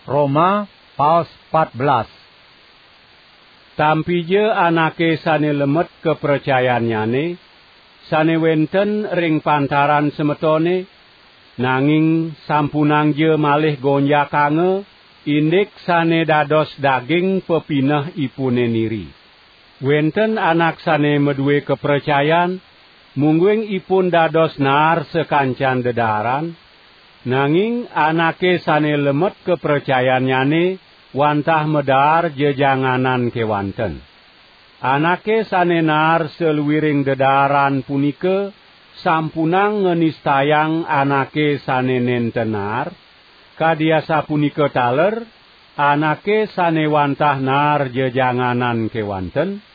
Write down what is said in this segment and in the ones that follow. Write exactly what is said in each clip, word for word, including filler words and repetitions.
Roma, paos pat belas. Tampija anake sane lemet kapracayannyane, sane wenten ring pantaran semetone, nanging sampunangja malih gonjakanga, indik sane dados daging pepinehipune niri. Wenten anak sane madue kapracayan, mungguing ipun dados naar sakancan dedaaran, nanging anake sane lemet kapracayannyane wantah madaar jejanganan kewanten. Anake sane naar saluiring dedaaran punika sampunang nganistayang anake sane nenten naar, kadi asapunika taler anake sane wantah naar jejanganan kewanten,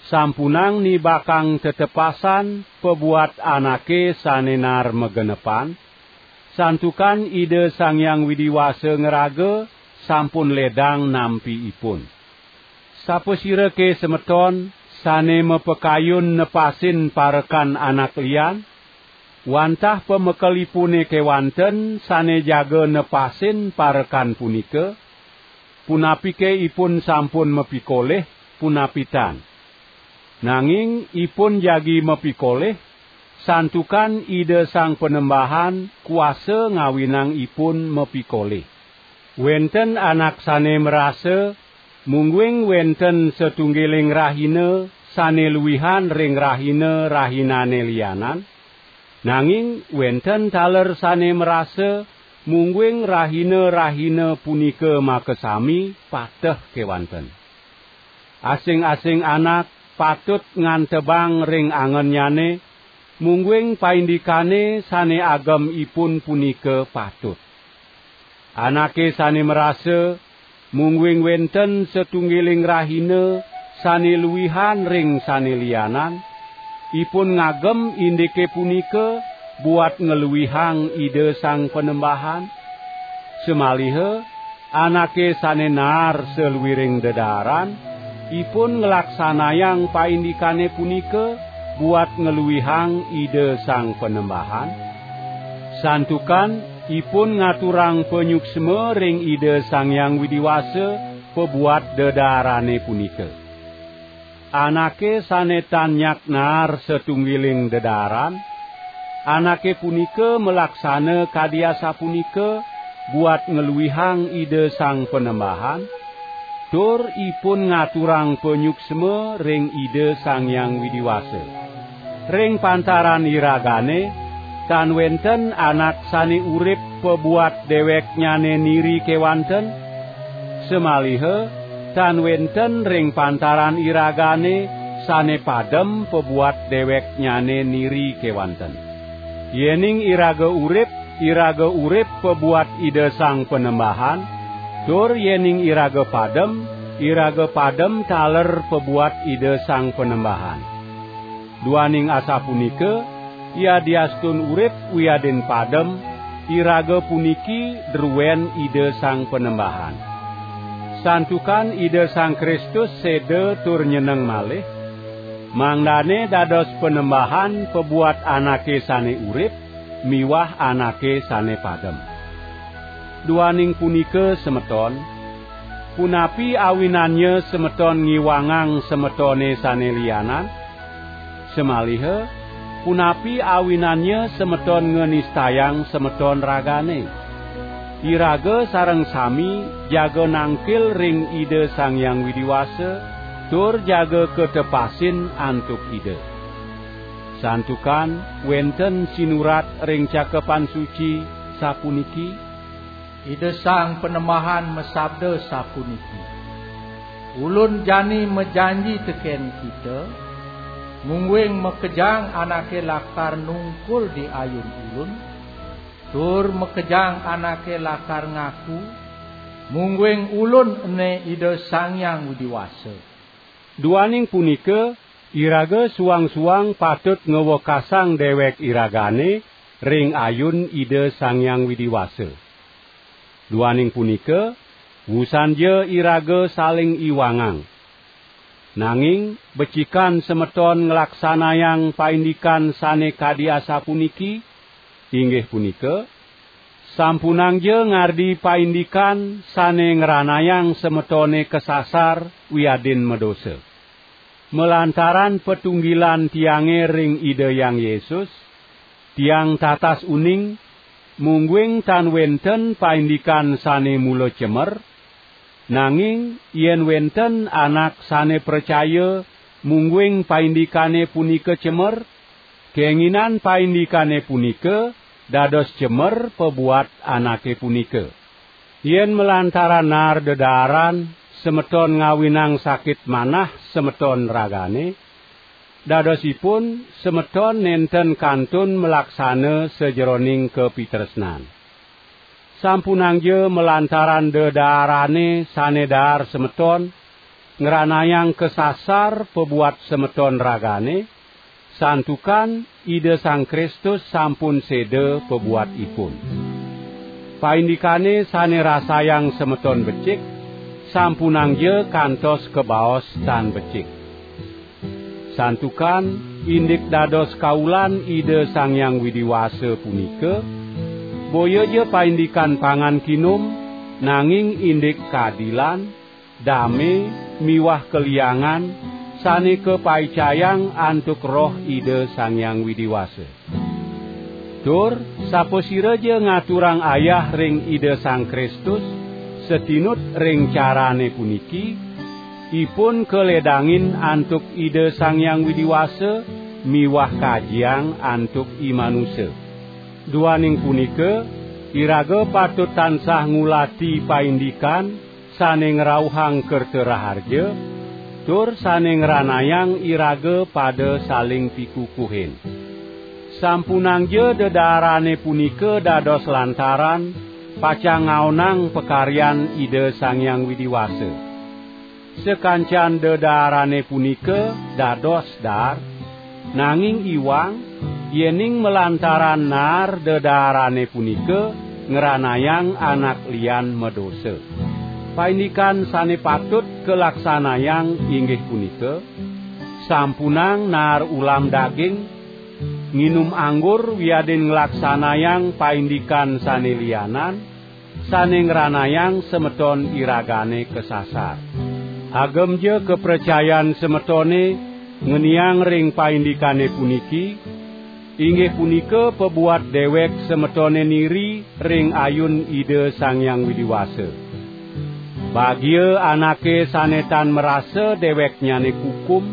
sampunang nibakang tetepasan pabuat anake sane naar magenepan, santukan Ida Sang Hyang Widi Wasa ngraga sampun ledang nampi ipun. Sapasirake semeton sane mapakayun nepasin parekan anak lian, wantah pamekelipune kewanten sane jaga nepasin parekan punika? Punapike ipun sampun mapikolih, punapi tan? Nanging ipun jagi mapikolih, santukan Ida Sang Panembahan kuasa ngawinang ipun mapikolih. Wenten anak sane marasa, mungguing wenten satunggiling rahina sane luihan ring rahina-rahinane lianan, nanging wenten taler sane marasa, mungguing rahina-rahina punika makasami pateh kewanten. Asing-asing anak patut ngantebang ring angennyane, mungguing paindikane sane agem ipun punika patut. Anake sane marasa, mungguing wenten satunggiling rahina sane luihan ring sane lianan, ipun ngagem indike punika buat ngluihang Ida Sang Panembahan. Samaliha anake sane naar saluiring dedaaran, ipun nglaksanayang paindikane punika buat ngluihang Ida Sang Panembahan. Santukan ipun ngaturang panyuksma ring Ida Sang Hyang Widi Wasa pabuat dedaarane punika. Anake sane tan nyak naar satunggiling dedaran, anake punika malaksana kadi asapunika buat ngluihang Ida Sang Panembahan, tur ipun ngaturang panyuksma ring Ida Sang Hyang Widi Wasa. Ring pantaran iragane, tan wenten anak sane urip pabuat deweknyane niri kewanten, samaliha tan wenten ring pantaran iragane sane padem pabuat deweknyane niri kewanten. Yening iraga urip, iraga urip pabuat Ida Sang Panembahan, tur yening iraga padem, iraga padem taler pabuat Ida Sang Panembahan. Duaning asapunika, yadiastun urip wiadin padem, iraga puniki druen Ida Sang Panembahan. Santukan Ida Sang Kristus seda tur nyeneng malih, mangdane dados Panembahan pabuat anake sane urip miwah anake sane padem. Duaning punika, semeton, punapi awinannya semeton ngiwangang semetone sane lianan? Samaliha, punapi awinannya semeton nganistayang semeton ragane? Iraga sareng sami jaga nangkil ring Ida Sang Hyang Widi Wasa, tur jaga katepasin antuk Ida. Santukan wenten sinurat ring Cakepan Suci, sapuniki: Ida Sang Panembahan masabda sapuniki: Ulun jani majanji teken kita, mungguing makejang anake lakar nungkul di ayun Ulun, tur makejang anake lakar ngaku, mungguing Ulun ene Ida Sang Hyang Widi Wasa. Duaning punika, iraga suang-suang patut ngwekasang dewek iragane ring ayun Ida Sang Hyang Widi Wasa. Duaning punika, wusanja iraga saling iwangang. Nanging becikan semeton nglaksanayang paindikan sane kadi asapuniki, inggih punika, Sampunangja ngardi paindikan sane ngranayang semetone kasasar wiadin madosa. Malantaran patunggilan tiange ring Ida Hyang Yesus, tiang tatas uning, mungguing tan wenten paindikan sane mula cemer, nanging yen wenten anak sane pracaya mungguing paindikane punika cemer, kenginan paindikane punika dados cemer pabuat anake punika. Yen malantaran naar dedaaran semeton ngawinang sakit manah semeton ragane, dadosipun semeton nenten kantun malaksana sajeroning kapitresnan. Sampunangja malantaran dedaarane sane daar semeton ngranayang kasasar pabuat semeton ragane, santukan Ida Sang Kristus sampun seda pabuat ipun. Paindikane sane rasayang semeton becik, sampunangja kantos kabaos tan becik. Santukan indik dados kaulan Ida Sang Hyang Widi Wasa punika, boyaja paindikan pangan kinum, nanging indik kadilan, dame, miwah kaliangan, sane kapaicayang antuk Roh Ida Sang Hyang Widi Wasa. Tur sapasiraja ngaturang ayah ring Ida Sang Kristus, satinut ring carane puniki, ipun kaledangin antuk Ida Sang Hyang Widi Wasa miwah kajiang antuk imanusa. Duaning punika, iraga patut tansah ngulati paindikan sane ngrauhang kerta raharja, tur sane ngranayang iraga pada saling pikukuhin. Sampunangja dedaarane punika dados lantaran pacang ngaonang pakaryan Ida Sang Hyang Widi Wasa. Sakancan dedaarane punika dados daar, nanging iwang, yening malantaran naar dedaarane punika ngranayang anak lian madosa. Paindikan sane patut kalaksanayang inggih punika, sampunang naar ulam daging, nginum anggur wiadin nglaksanayang paindikan sane lianan, sane ngranayang semeton iragane kasasar. Agemja kapracayan semetone ngeniang ring paindikane puniki, inggih punika pabuat dewek semetone niri ring ayun Ida Sang Hyang Widi Wasa. Bagia anake sane tan marasa deweknyane kukum,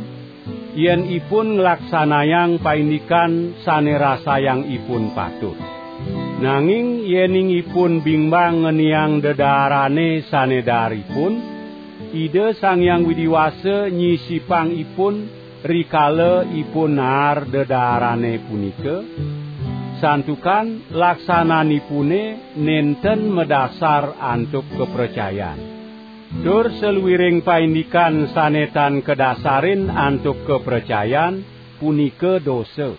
yen ipun nglaksanayang paindikan sane rasayang ipun patut. Nanging yening ipun bingbang ngeniang dedaarane sane daar ipun, Ida Sang Hyang Widi Wasa nyisipang ipun rikala ipun naar dedaarane punika, santukan laksananipune nenten madasar antuk kapracayan. Tur saluiring paindikan sane tan kadasarin antuk kapracayan punika dosa.